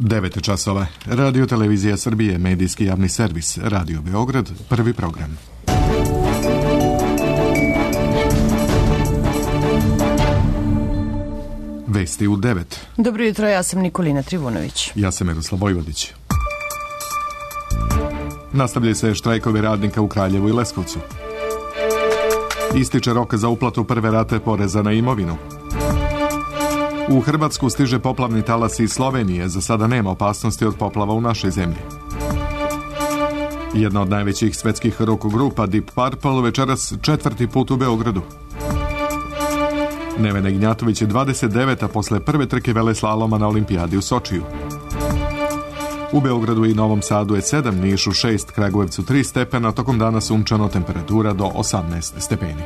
9 časova. Radio Televizija Srbije, medijski javni servis, Radio Beograd, prvi program. Vesti u 9. Dobro jutro, ja sam Nikolina Trivunović. Ja sam Miroslav Vojvodić. Nastavljaju se štrajkovi radnika u Kraljevu i Leskovcu. Ističe rok za uplatu prve rate poreza na imovinu. U Hrvatsku stiže poplavni talas iz Slovenije, za sada nema opasnosti od poplava u našoj zemlji. Jedna od najvećih svetskih rock grupa Deep Purple večeras 4. put u Beogradu. Nevena Ignjatović je 29. posle prve trke veleslaloma na olimpijadi u Sočiju. U Beogradu i Novom Sadu je 7, Nišu 6, Kragujevcu 3 stepena, tokom dana sunčano, temperatura do 18 stepeni.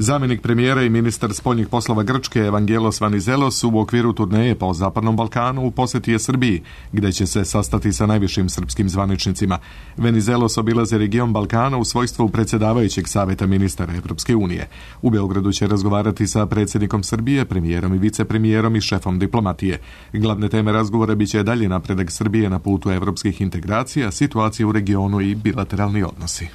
Zamjenik premijera i ministar spoljnih poslova Grčke Evangelos Venizelos u okviru turneje po Zapadnom Balkanu u posjeti je Srbiji, gdje će se sastati sa najvišim srpskim zvaničnicima. Venizelos obilazi region Balkana u svojstvu predsjedavajućeg savjeta ministara Evropske unije. U Beogradu će razgovarati sa predsjednikom Srbije, premijerom i vicepremijerom i šefom diplomatije. Glavne teme razgovora biće dalje napredak Srbije na putu evropskih integracija, situacija u regionu i bilateralni odnosi.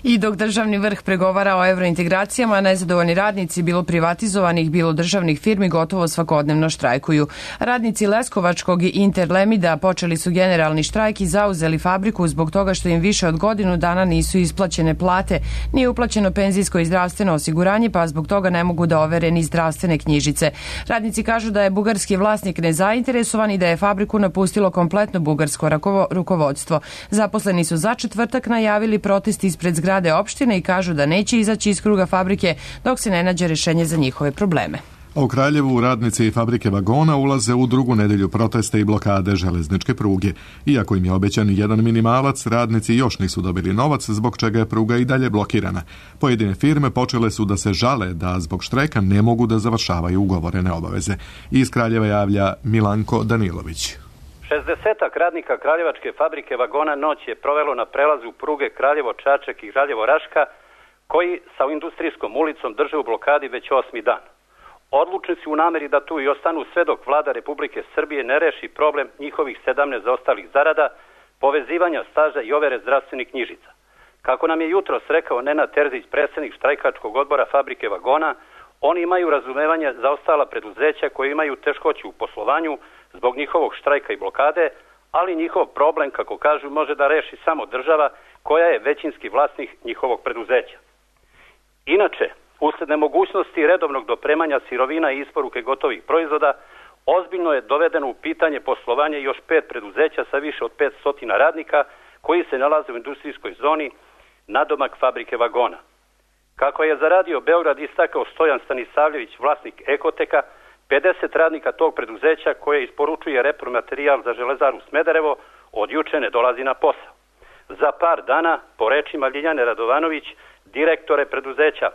I dok državni vrh pregovara o evrointegracijama, nezadovoljni radnici, bilo privatizovanih, bilo državnih firmi, gotovo svakodnevno štrajkuju. Radnici Leskovačkog i Interlemida počeli su generalni štrajk i zauzeli fabriku zbog toga što im više od godinu dana nisu isplaćene plate, nije uplaćeno penzijsko i zdravstveno osiguranje, pa zbog toga ne mogu da overe ni zdravstvene knjižice. Radnici kažu da je bugarski vlasnik nezainteresovan i da je fabriku napustilo kompletno bugarsko rukovodstvo. Zaposleni su za četvrtak najavili protest ispred zgrade opštine i kažu da neće izaći iz kruga fabrike dok se ne nađe rješenje za njihove probleme. A u Kraljevu radnici fabrike vagona ulaze u drugu nedelju protesta i blokade železničke pruge. Iako im je obećan jedan minimalac, radnici još nisu dobili novac, zbog čega je pruga i dalje blokirana. Pojedine firme počele su da se žale da zbog štrajka ne mogu da završavaju ugovorene obaveze. Iz Kraljeva javlja Milanko Danilović. 60 radnika Kraljevačke fabrike vagona noć je provelo na prelazu pruge Kraljevo-Čačak i Kraljevo-Raška, koji sa industrijskom ulicom drže u blokadi već 8. dan. Odlučni su u nameri da tu i ostanu sve dok vlada Republike Srbije ne reši problem njihovih 17 zaostalih zarada, povezivanja staža i overe zdravstvenih knjižica. Kako nam je jutros rekao Nenad Terzić, predsjednik štrajkačkog odbora fabrike vagona, oni imaju razumevanje za ostala preduzeća koje imaju teškoću u poslovanju zbog njihovog štrajka i blokade, ali njihov problem, kako kažu, može da reši samo država koja je većinski vlasnik njihovog preduzeća. Inače, usled nemogućnosti redovnog dopremanja sirovina i isporuke gotovih proizvoda, ozbiljno je dovedeno u pitanje poslovanje još 5 preduzeća sa više od 500 radnika koji se nalaze u industrijskoj zoni nadomak fabrike vagona. Kako je za Radio Beograd istakao Stojan Stanisavljević, vlasnik Ekoteka, 50 radnika tog preduzeća koje isporučuje repromaterijal za Železaru Smederevo od juče ne dolazi na posao. Za par dana, po rečima Ljiljane Radovanović, direktore preduzeća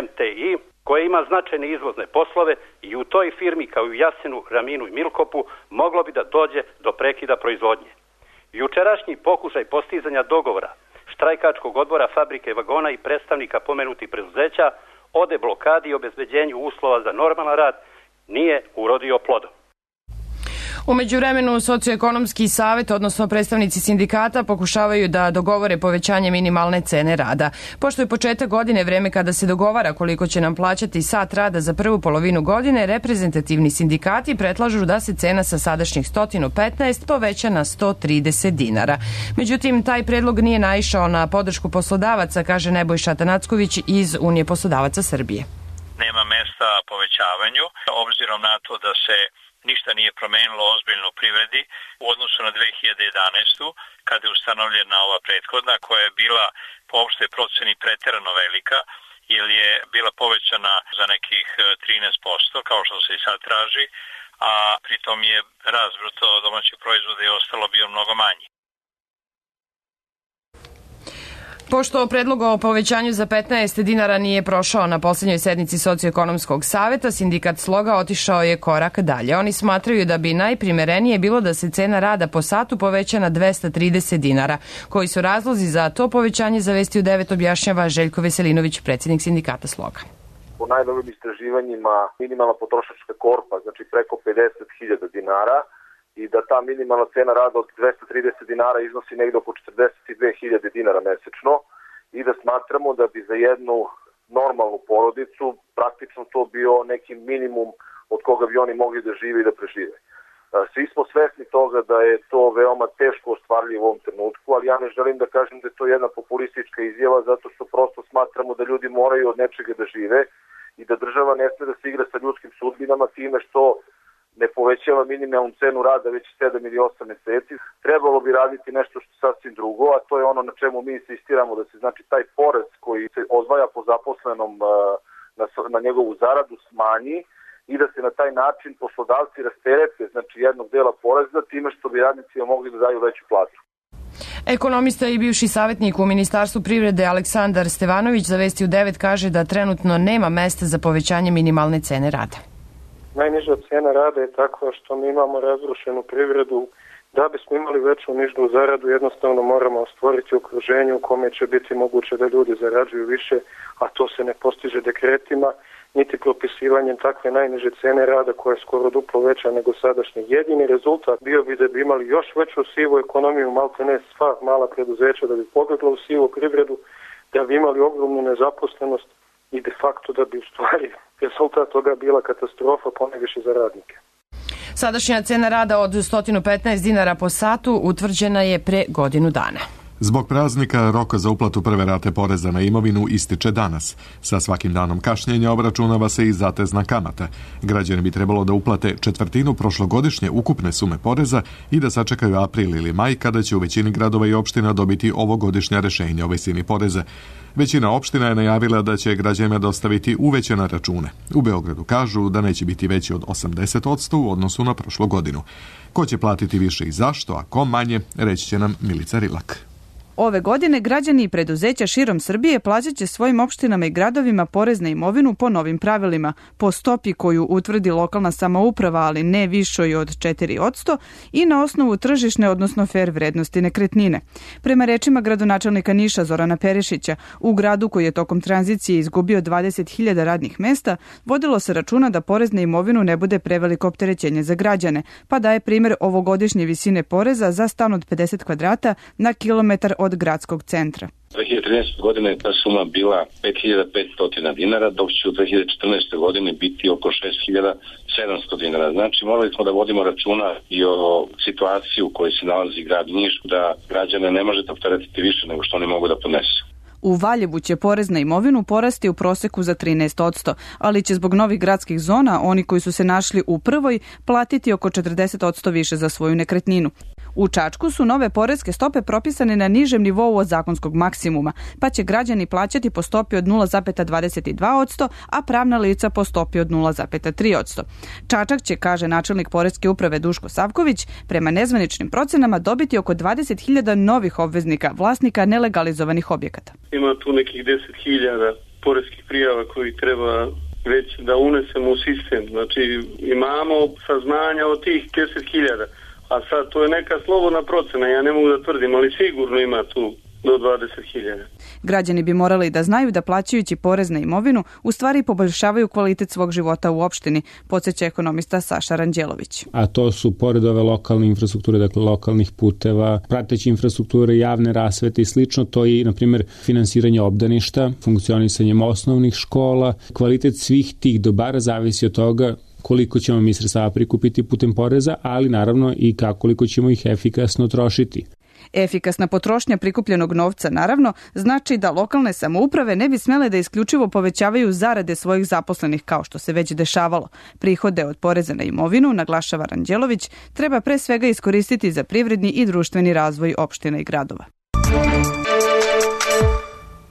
MTI, koje ima značajne izvozne poslove, i u toj firmi kao i u Jasenu, Raminu i Milkopu moglo bi da dođe do prekida proizvodnje. Jučerašnji pokušaj postizanja dogovora štrajkačkog odbora fabrike vagona i predstavnika pomenutih preduzeća o deblokadi i obezbeđenju uslova za normalan rad nije urodio plodom. U međuvremenu socioekonomski savjet, odnosno predstavnici sindikata, pokušavaju da dogovore povećanje minimalne cene rada. Pošto je početak godine, vreme kada se dogovara koliko će nam plaćati sat rada za prvu polovinu godine, reprezentativni sindikati predlažu da se cena sa sadašnjih 115 poveća na 130 dinara. Međutim, taj predlog nije naišao na podršku poslodavaca, kaže Nebojša Tanacković iz Unije poslodavaca Srbije. Nema mesta povećavanju, obzirom na to da se ništa nije promenilo ozbiljno u privredi u odnosu na 2011. kada je ustanovljena ova prethodna koja je bila po opštoj proceni preterano velika jer je bila povećana za nekih 13% kao što se i sad traži, a pritom je rast bruto domaćeg proizvoda i ostalo bio mnogo manji. Pošto predlog o povećanju za 15 dinara nije prošao na posljednjoj sednici socioekonomskog savjeta, sindikat Sloga otišao je korak dalje. Oni smatraju da bi najprimerenije bilo da se cena rada po satu poveća na 230 dinara. Koji su razlozi za to povećanje, za Vesti u 9 objašnjava Željko Veselinović, predsjednik sindikata Sloga. po najnovim istraživanjima minimalna potrošačka korpa, znači preko 50.000 dinara i da ta minimalna cena rada od 230 dinara iznosi negde oko 42.000 dinara mesečno i da smatramo da bi za jednu normalnu porodicu praktično to bio neki minimum od koga bi oni mogli da žive i da prežive. Svi smo svesni toga da je to veoma teško ostvarljivo u ovom trenutku, ali ja ne želim da kažem da je to jedna populistička izjava zato što prosto smatramo da ljudi moraju od nečega da žive i da država ne sme da se igra sa ljudskim sudbinama time što ne povećava minimalnu cenu rada već 7 ili 8 meseci. Trebalo bi raditi nešto što je sasvim drugo, a to je ono na čemu mi insistiramo da se znači taj porez koji se odvaja po zaposlenom na njegovu zaradu smanji i da se na taj način poslodavci rasterete znači jednog dela poreza time što bi radnicima mogli da daju veću platu. Ekonomista i bivši savjetnik u Ministarstvu privrede Aleksandar Stevanović za Vesti u 9 kaže da trenutno nema mesta za povećanje minimalne cene rada. Najniža cena rada je takva što mi imamo razrušenu privredu. Da bismo imali veću nižnu zaradu, jednostavno moramo stvoriti okruženje u kome će biti moguće da ljudi zarađuju više, a to se ne postiže dekretima, niti propisivanjem takve najniže cene rada koja je skoro duplo veća nego sadašnji. Jedini rezultat bio bi da bi imali još veću sivu ekonomiju, malte ne sva mala preduzeća da bi pobjegla u sivu privredu, da bi imali ogromnu nezaposlenost i de facto da bi u stvari rezultat toga bila katastrofa ponajviše za radnike. Sadašnja cena rada od 115 dinara po satu utvrđena je pre godinu dana. Zbog praznika roka za uplatu prve rate poreza na imovinu ističe danas. Sa svakim danom kašnjenja obračunava se i zatezna kamata. Građani bi trebalo da uplate četvrtinu prošlogodišnje ukupne sume poreza i da sačekaju april ili maj kada će u većini gradova i opština dobiti ovogodišnja rešenja o visini poreza. Većina opština je najavila da će građanima dostaviti uvećane račune. U Beogradu kažu da neće biti veći od 80% u odnosu na prošlu godinu. Ko će platiti više i zašto, a ko manje, reći će nam Milica Rilak. Ove godine građani i preduzeća širom Srbije plaćat će svojim opštinama i gradovima porez na imovinu po novim pravilima, po stopi koju utvrdi lokalna samouprava, ali ne višoj od 4% i na osnovu tržišne, odnosno fer vrednosti nekretnine. Prema rečima gradonačelnika Niša Zorana Perišića, u gradu koji je tokom tranzicije izgubio 20.000 radnih mesta, vodilo se računa da porez na imovinu ne bude preveliko opterećenje za građane, pa daje primjer ovogodišnje visine poreza za stan od 50 kvadrata na kilometar od gradskog centra. 2013. godine ta suma bila 5.500 dinara, dok će u 2014. godine biti oko 6.700 dinara. Znači morali smo da vodimo računa i o situaciji u kojoj se nalazi grad Niš, da građane ne možete opteretiti više nego što oni mogu da podnesu. U Valjevu će porez na imovinu porasti u proseku za 13%, ali će zbog novih gradskih zona oni koji su se našli u prvoj platiti oko 40% više za svoju nekretninu. U Čačku su nove poreske stope propisane na nižem nivou od zakonskog maksimuma, pa će građani plaćati po stopi od 0,22%, a pravna lica po stopi od 0,3%. Čačak će, kaže načelnik poreske uprave Duško Savković, prema nezvaničnim procenama dobiti oko 20.000 novih obveznika, vlasnika nelegalizovanih objekata. Ima tu nekih 10.000 poreskih prijava koji treba već da unesemo u sistem. Znači imamo saznanja o tih 10.000. A sad to je neka slobodna procena, ja ne mogu da tvrdim, ali sigurno ima tu do 20.000. Građani bi morali da znaju da plaćajući porez na imovinu u stvari poboljšavaju kvalitet svog života u opštini, podsjeća ekonomista Saša Ranđelović. A to su pored ove lokalne infrastrukture, dakle lokalnih puteva, prateće infrastrukture, javne rasvete i slično, to je na primjer finansiranje obdaništa, funkcionisanjem osnovnih škola. Kvalitet svih tih dobara zavisi od toga koliko ćemo mi sredstava prikupiti putem poreza, ali naravno i koliko ćemo ih efikasno trošiti. Efikasna potrošnja prikupljenog novca, naravno, znači da lokalne samouprave ne bi smele da isključivo povećavaju zarade svojih zaposlenih kao što se već dešavalo. Prihode od poreza na imovinu, naglašava Ranđelović, treba pre svega iskoristiti za privredni i društveni razvoj opština i gradova.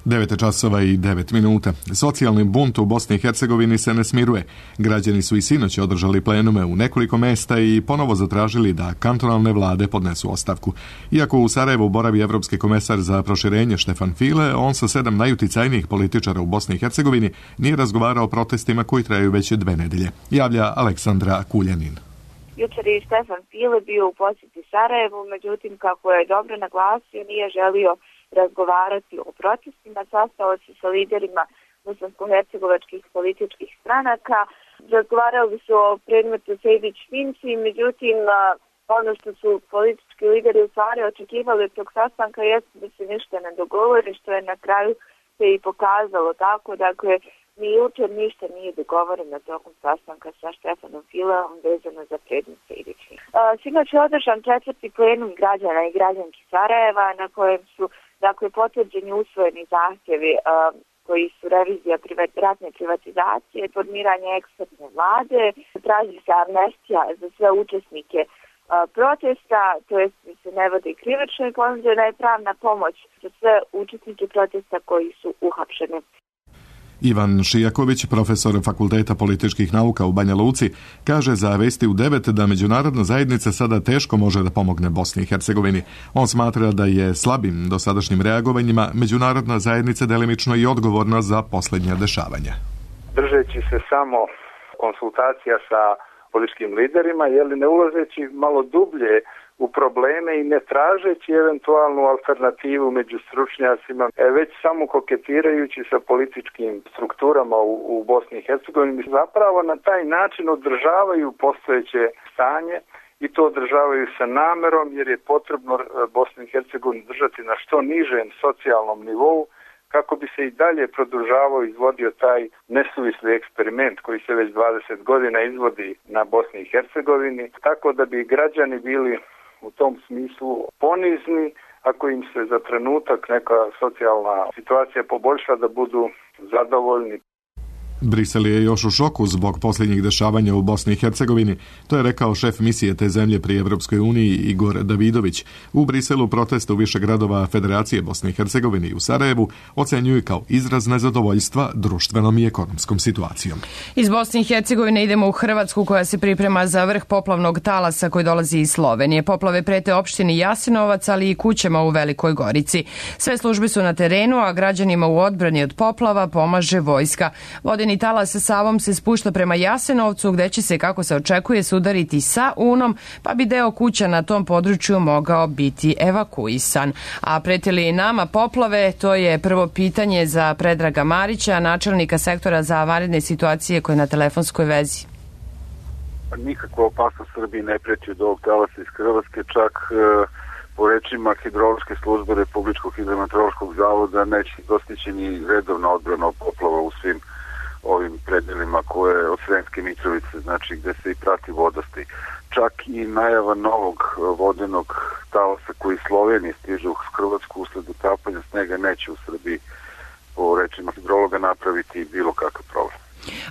9:09. Socijalni bunt u Bosni i Hercegovini se ne smiruje. Građani su i sinoć održali plenume u nekoliko mesta i ponovo zatražili da kantonalne vlade podnesu ostavku. Iako u Sarajevu boravi evropski komesar za proširenje Štefan File, on sa 7 najuticajnijih političara u Bosni i Hercegovini nije razgovarao o protestima koji traju već 2 nedelje. Javlja Aleksandra Kuljanin. Jučer je Štefan File bio u posjeti Sarajevu, međutim, kako je dobro naglasio, nije želio razgovarati o protestima, sastao se sa liderima bosansko-hercegovačkih političkih stranaka. Razgovarali su o predmetu Sejdić-Finci, međutim, ono što su politički lideri u stvari očekivali od tog sastanka jeste da se ništa ne dogovori, što je na kraju se i pokazalo tako. Dakle, ni jučer ništa nije dogovoreno tokom sastanka sa Štefanom Fileom vezano za predmet Sejdić-Finci. Sinoć je održan 4. plenum građana i građanki Sarajeva na kojem su potvrđeni usvojeni zahtjevi koji su revizija ratne privatizacije, formiranje ekspertne vlade, traži se amnestija za sve učesnike protesta, to jest se ne vodi krivično i ponuđena je pravna pomoć za sve učesnike protesta koji su uhapšeni. Ivan Šijaković, profesor Fakulteta političkih nauka u Banja Luci, kaže za Vesti u 9 da međunarodna zajednica sada teško može da pomogne Bosni i Hercegovini. On smatra da je slabim dosadašnjim reagovanjima međunarodna zajednica delimično i odgovorna za posljednja dešavanja. Držeći se samo konsultacija sa političkim liderima, ne ulazeći malo dublje u probleme i ne tražeći eventualnu alternativu među stručnjacima, već samo koketirajući sa političkim strukturama u Bosni i Hercegovini, zapravo na taj način održavaju postojeće stanje i to održavaju sa namerom jer je potrebno Bosnu i Hercegovinu držati na što nižem socijalnom nivou kako bi se i dalje produžavao i izvodio taj nesuvisli eksperiment koji se već 20 godina izvodi na Bosni i Hercegovini, tako da bi građani bili u tom smislu ponizni, ako im se za trenutak neka socijalna situacija poboljša, da budu zadovoljni. Brisel je još u šoku zbog posljednjih dešavanja u Bosni i Hercegovini. To je rekao šef misije te zemlje pri Evropskoj uniji Igor Davidović. U Briselu protest u više gradova Federacije Bosne i Hercegovine i u Sarajevu ocenjuju kao izraz nezadovoljstva društvenom i ekonomskom situacijom. Iz Bosne i Hercegovine idemo u Hrvatsku koja se priprema za vrh poplavnog talasa koji dolazi iz Slovenije. Poplave prete opštini Jasenovac, ali i kućama u Velikoj Gorici. Sve službe su na terenu, a građanima u odbrani od poplava pomaže vojska. Vodeni talas sa Savom se spušta prema Jasenovcu, gde će se, kako se očekuje, sudariti sa Unom, pa bi deo kuća na tom području mogao biti evakuisan. A prete li nama poplave? To je prvo pitanje za Predraga Marića, načelnika sektora za vanredne situacije, koji je na telefonskoj vezi. Nikakva opasnost Srbiji ne preti od ovog talasa iz Hrvatske, čak po rečima hidrološke službe Republičkog hidrometeorološkog zavoda neće dostići ni redovna odbrana od poplava u svim ovim predelima koje od Sremske Mitrovice, znači gde se i prati vodostaj. Čak i najava novog vodenog talasa koji iz Slovenije stiže u Hrvatsku usled utapanja snega neće u Srbiji po rečima hidrologa napraviti bilo kakav problem.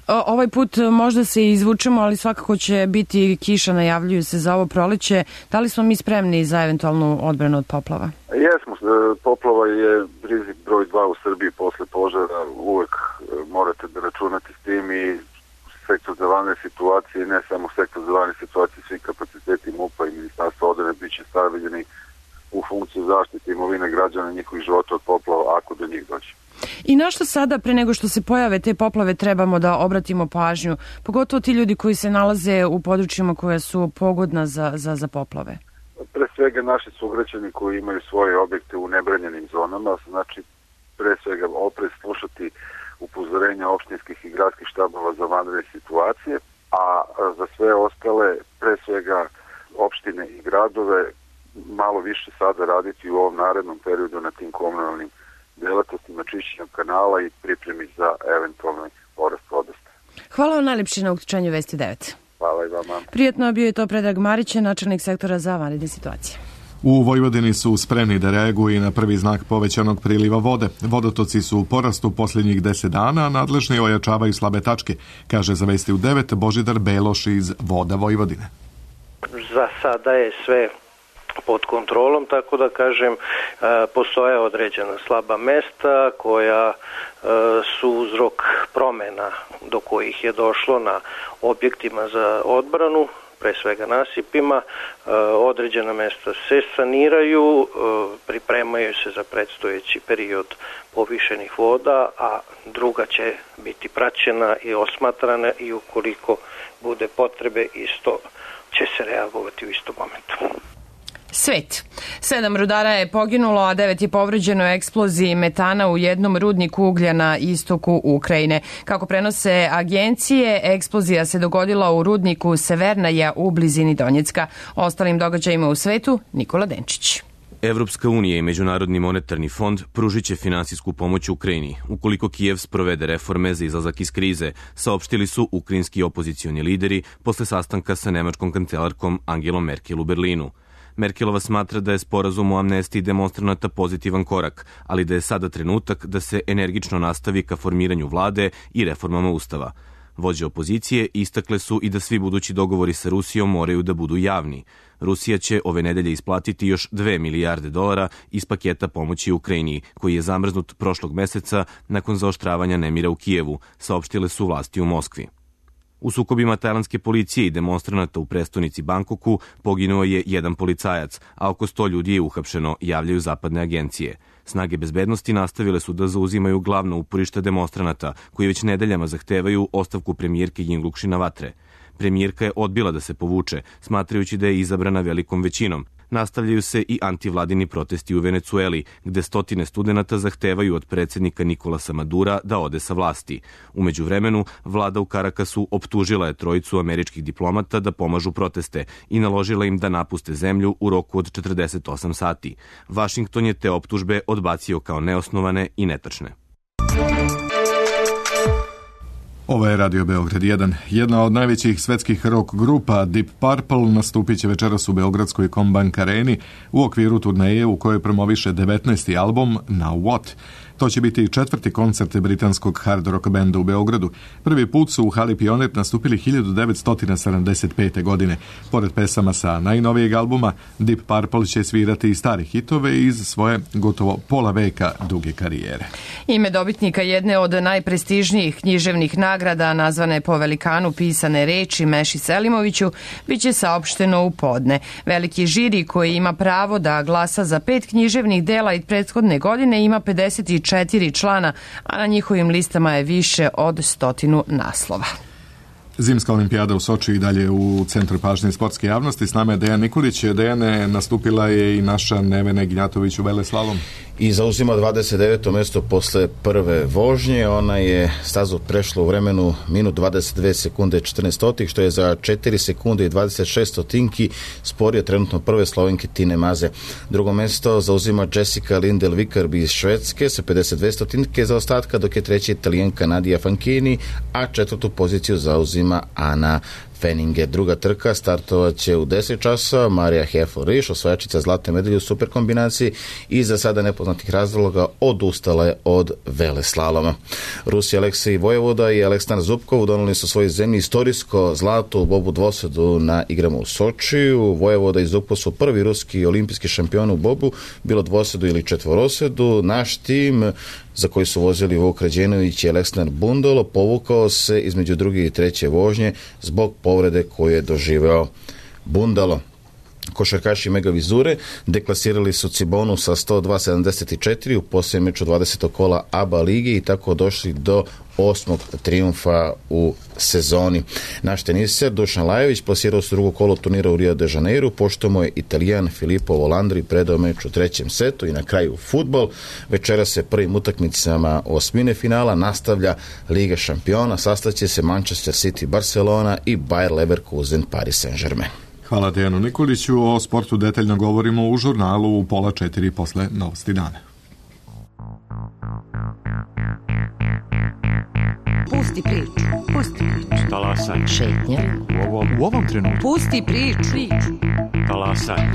Ovaj put možda se izvučemo, ali svakako će biti kiša, najavljuju se za ovo proleće. Da li smo mi spremni za eventualnu odbranu od poplava? Jesmo, poplava je rizik broj 2 u Srbiji posle požara, uvek morate da računate s tim i sektor za vanredne situacije, ne samo sektor za vanredne situacije, svi kapaciteti MUP-a i Ministarstva odbrane biće stavljeni u funkciju zaštite imovine građana i njihovih života od poplava ako do njih dođe. I na što sada, pre nego što se pojave te poplave, trebamo da obratimo pažnju, pogotovo ti ljudi koji se nalaze u područjima koja su pogodna za poplave? Pre svega naši sugrađani koji imaju svoje objekte u nebranjenim zonama, znači pre svega oprez slušati upozorenja opštinskih i gradskih štabova za vanredne situacije, a za sve ostale, pre svega opštine i gradove, malo više sada raditi u ovom narednom periodu na tim komunalnim delatnostima čišćenja kanala i pripremi za eventualni porast vodostaja. Hvala vam najlepše na uključenju Vesti 9. Hvala i vama. Prijatno, bio je to Predrag Marić, načelnik sektora za vanredne situacije. U Vojvodini su spremni da reaguju i na prvi znak povećanog priliva vode. Vodotoci su u porastu posljednjih 10 dana, a nadležni ojačavaju slabe tačke, kaže za Vesti u 9 Božidar Beloš iz Voda Vojvodine. Za sada je sve pod kontrolom, tako da kažem, postoje određena slaba mesta koja su uzrok promena do kojih je došlo na objektima za odbranu, pre svega nasipima. Određena mesta se saniraju, pripremaju se za predstojeći period povišenih voda, a druga će biti praćena i osmatrana i ukoliko bude potrebe isto će se reagovati u istom momentu. Svet. 7 rudara je poginulo, a 9 je povređeno u eksploziji metana u jednom rudniku uglja na istoku Ukrajine. Kako prenose agencije, eksplozija se dogodila u rudniku Severnaja u blizini Donjecka. O ostalim događajima u svetu, Nikola Denčić. Evropska unija i Međunarodni monetarni fond pružit će finansijsku pomoć Ukrajini ukoliko Kijev sprovede reforme za izlazak iz krize, saopštili su ukrajinski opozicioni lideri posle sastanka sa nemačkom kancelarkom Angelom Merkel u Berlinu. Merkelova smatra da je sporazum o amnestiji demonstranata pozitivan korak, ali da je sada trenutak da se energično nastavi ka formiranju vlade i reformama ustava. Vođe opozicije istakle su i da svi budući dogovori sa Rusijom moraju da budu javni. Rusija će ove nedelje isplatiti još $2 milijarde iz paketa pomoći Ukrajini, koji je zamrznut prošlog meseca nakon zaoštravanja nemira u Kijevu, saopštile su vlasti u Moskvi. U sukobima tajlandske policije i demonstranata u prestonici Bangkoku poginuo je jedan policajac, a oko 100 ljudi je uhapšeno, javljaju zapadne agencije. Snage bezbednosti nastavile su da zauzimaju glavno uporište demonstranata, koji već nedeljama zahtevaju ostavku premijerke Yingluck Shinawatre. Premijerka je odbila da se povuče, smatrajući da je izabrana velikom većinom. Nastavljaju se i antivladini protesti u Venecueli, gde stotine studenata zahtevaju od predsjednika Nikolasa Madura da ode sa vlasti. U međuvremenu, vlada u Karakasu optužila je trojicu američkih diplomata da pomažu proteste i naložila im da napuste zemlju u roku od 48 sati. Vašington je te optužbe odbacio kao neosnovane i netačne. Ovo je Radio Beograd 1. Jedna od najvećih svetskih rock grupa Deep Purple nastupit će večeras u Beogradskoj Kombank areni u okviru turneje u kojoj promoviše 19. album Now What. To će biti 4. koncert britanskog hard rock benda u Beogradu. Prvi put su u hali Pionir nastupili 1975. godine. Pored pesama sa najnovijeg albuma, Deep Purple će svirati i stare hitove iz svoje gotovo pola veka duge karijere. Ime dobitnika jedne od najprestižnijih književnih nagrada, nazvane po velikanu pisane reči Meši Selimoviću, bit će saopšteno u podne. Veliki žiri koji ima pravo da glasa za 5 književnih dela iz prethodne godine ima 54 člana, a na njihovim listama je više od 100 naslova. Zimska olimpijada u Soči i dalje u centru pažnje sportske javnosti. S nama je Dejan Nikolić. Dejane, nastupila je i naša Nevena Gnjatović u veleslalom. I zauzima 29. mesto posle prve vožnje. Ona je stazu prešla u vremenu minut 22 sekunde 14, što je za 4 sekunde i 26 stotinki sporije trenutno prve Slovenke Tine Maze. Drugo mesto zauzima Jessica Lindell Vikarbi iz Švedske sa 52 stotinke za ostatka, dok je treća Italijanka Nadia Fanchini, a četvrtu poziciju zauzima Ana Feninge. Druga trka startovat će u 10 časa. Marija Hefel-Riš, osvajačica zlatne medalje u superkombinaciji i za sada nepoznatih razloga odustala je od veleslaloma. Rusi Aleksej Vojevoda i Aleksandar Zubkov doneli su svojoj zemlji istorijsko zlato u bobu dvosedu na igrama u Sočiju. Vojevoda i Zubkov su prvi ruski olimpijski šampioni u bobu, bilo dvosedu ili četvorosedu. Naš tim, za koji su vozili Vuk Rađenović i Aleksandar Bundolo, povukao se između druge i treće vožnje zbog povrede koju je doživeo Bundalo. Košarkaši Mega Vizure deklasirali su Cibonu sa 102-74 u posljednjem meču 20. kola ABA lige i tako došli do 8. trijumfa u sezoni. Naš teniser Dušan Lajović plasirao se drugo kolo turnira u Rio de Janeiro, pošto mu je Italijan Filippo Volandri predao meč u trećem setu. I na kraju fudbal. Večera se prvim utakmicama osmine finala nastavlja Liga šampiona. Sastaće se Manchester City Barcelona i Bayer Leverkusen Paris Saint-Germain. Hvala Dejanu Nikoliću. O sportu detaljno govorimo u žurnalu u 3:30 posle Novosti dana. Pusti priču. Pusti priču. Talasaj. Šetnja. U ovom trenutku. Pusti priču. Talasaj.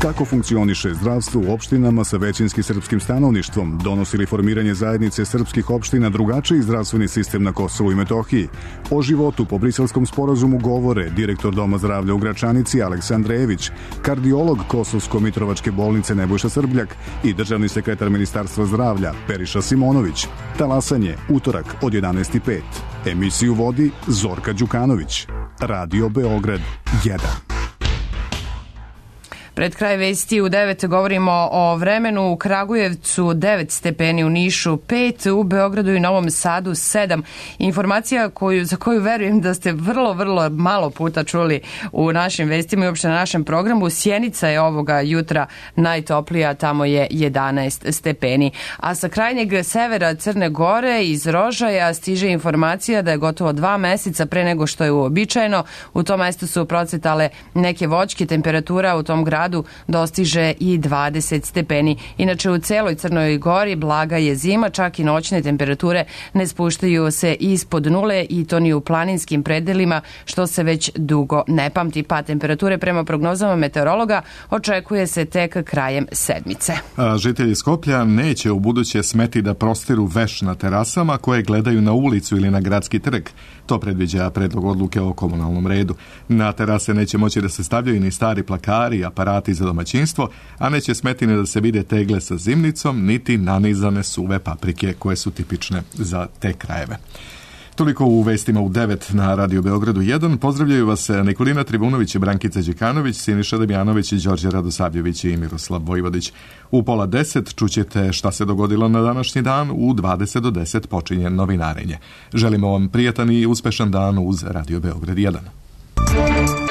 Kako funkcioniše zdravstvo u opštinama sa većinski srpskim stanovništvom? Donosi li formiranje zajednice srpskih opština drugačiji zdravstveni sistem na Kosovu i Metohiji? O životu po Briselskom sporazumu govore direktor Doma zdravlja u Gračanici Aleksa Andrejević, kardiolog Kosovsko-Mitrovačke bolnice Nebojša Srbljak i državni sekretar Ministarstva zdravlja Periša Simonović. Talasanje, utorak od 11:05. Emisiju vodi Zorka Đukanović. Radio Beograd 1. Pred kraj vesti u 9 govorimo o vremenu. U Kragujevcu 9 stepeni, u Nišu 5, u Beogradu i Novom Sadu 7. Informacija za koju verujem da ste vrlo malo puta čuli u našim vestima i uopšte na našem programu. Sjenica je ovoga jutra najtoplija, tamo je 11 stepeni. A sa krajnjeg severa Crne Gore iz Rožaja stiže informacija da je gotovo 2 meseca pre nego što je uobičajeno. U tom mestu su procvetale neke voćke, temperatura u tom gradu dostiže i 20 stepeni. Inače, u celoj Crnoj Gori blaga je zima, čak i noćne temperature ne spuštaju se ispod nule i to ni u planinskim predelima, što se već dugo ne pamti. Pa temperature prema prognozama meteorologa očekuje se tek krajem sedmice. Žitelji Skoplja neće u buduće smeti da prostiru veš na terasama koje gledaju na ulicu ili na gradski trg. To predviđa predlog odluke o komunalnom redu. Na terase neće moći da se stavljaju ni stari plakari, aparati za domaćinstvo, a neće smeti ni da se vide tegle sa zimnicom, niti nanizane suve paprike koje su tipične za te krajeve. Toliko u vestima u 9 na Radio Beogradu 1. Pozdravljaju vas Nikolina Tribunović, Brankica Đekanović, Siniša Damjanović, Đorđe Radosavljević i Miroslav Vojvodić. U 9:30 čućete šta se dogodilo na današnji dan, u 20 do 10 počinje novinarenje. Želimo vam prijatan i uspešan dan uz Radio Beograd 1.